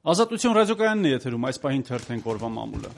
Ազատություն ռադիոկայանն է եթերում, այս պահին թերթենք օրվա մամուլը։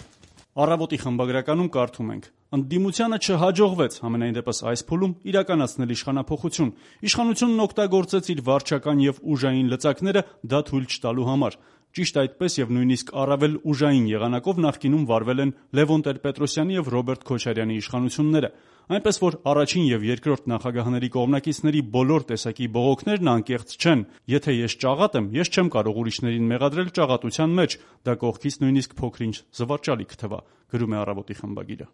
Առավոտի խմբագրականում կարդում ենք. ընդդիմությանը չհաջողվեց համենայն դեպս այս փուլում իրականացնել իշխանափոխություն։ Իշխանությունն օգտագործեց իր վարչական եւ ուժային լծակները դա թույլ չտալու համար։ Ճիշտ այդպես եւ նույնիսկ առավել ուժային եղանակով նախկինում վարվել են Լևոն Տեր-Պետրոսյանի եւ Ռոբերտ Քոչարյանի իշխանությունները։ Այնպես որ առաջին եւ երկրորդ նախագահների կողմնակիցների բոլոր տեսակի բողոքներն անկեղծ չեն։ Եթե ես ճաղատ եմ, ես չեմ կարող ուրիշներին մեղադրել ճաղատության մեջ, դա կողքից նույնիսկ փոքր-ինչ զվարճալի կթվա, գրում է Առավոտի խմբագիրը։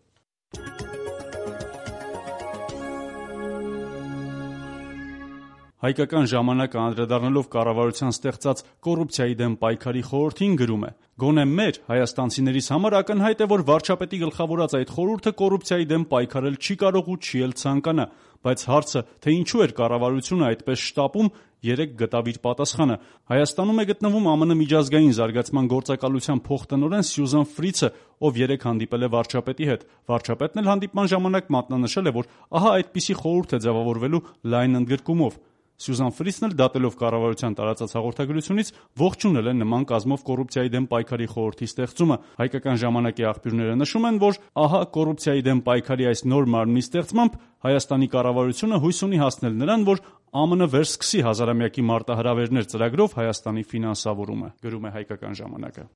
Հայկական ժամանակը անդրադառնալով կառավարության ստեղծած կոռուպցիայի դեմ պայքարի խորհրդին գրում է. «Գոնե մեր հայաստանցիներիս համար ակնհայտ է, որ վարչապետի գլխավորած այդ խորհուրդը կոռուպցիայի դեմ պայքարել չի կարող ու չի էլ ցանկանա, բայց հարցը, թե ինչու էր կառավարությունը այդպես շտապում, երեկ գտավ իր պատասխանը։ Հայաստանում է գտնվում ԱՄՆ միջազգային զարգացման գործակալության փոխտնօրեն Սյուզան Ֆրիցը, ով երեկ հանդիպել է վարչապետի հետ։ Վարչապետն էլ հանդիպման ժամանակ մատնանշել է, որ ահա այդպիսի խորհուրդ է ձևավորվելու լայն ընդգրկումով։ Սյուզան Ֆրիցն էլ դատելով կառավարության տարածած հաղորդագրությունից ողջունել է նման կազմով կոռուպցիայի դեմ պայքարի խորհրդի ստեղծումը։ Հայկական ժամանակի աղբյուրները նշում են, որ ահա կոռուպցիայի դեմ պայքարի այս նոր մարմնի ստեղծմամբ Հայաստանի կառավարությունը հույս ունի հասնել նրան, որ ԱՄՆ վերսկսի հազարամյակի մարտահրավերներ ծրագրով Հայաստանի ֆինանսավորումը, գրում է Հայկական ժամանակը։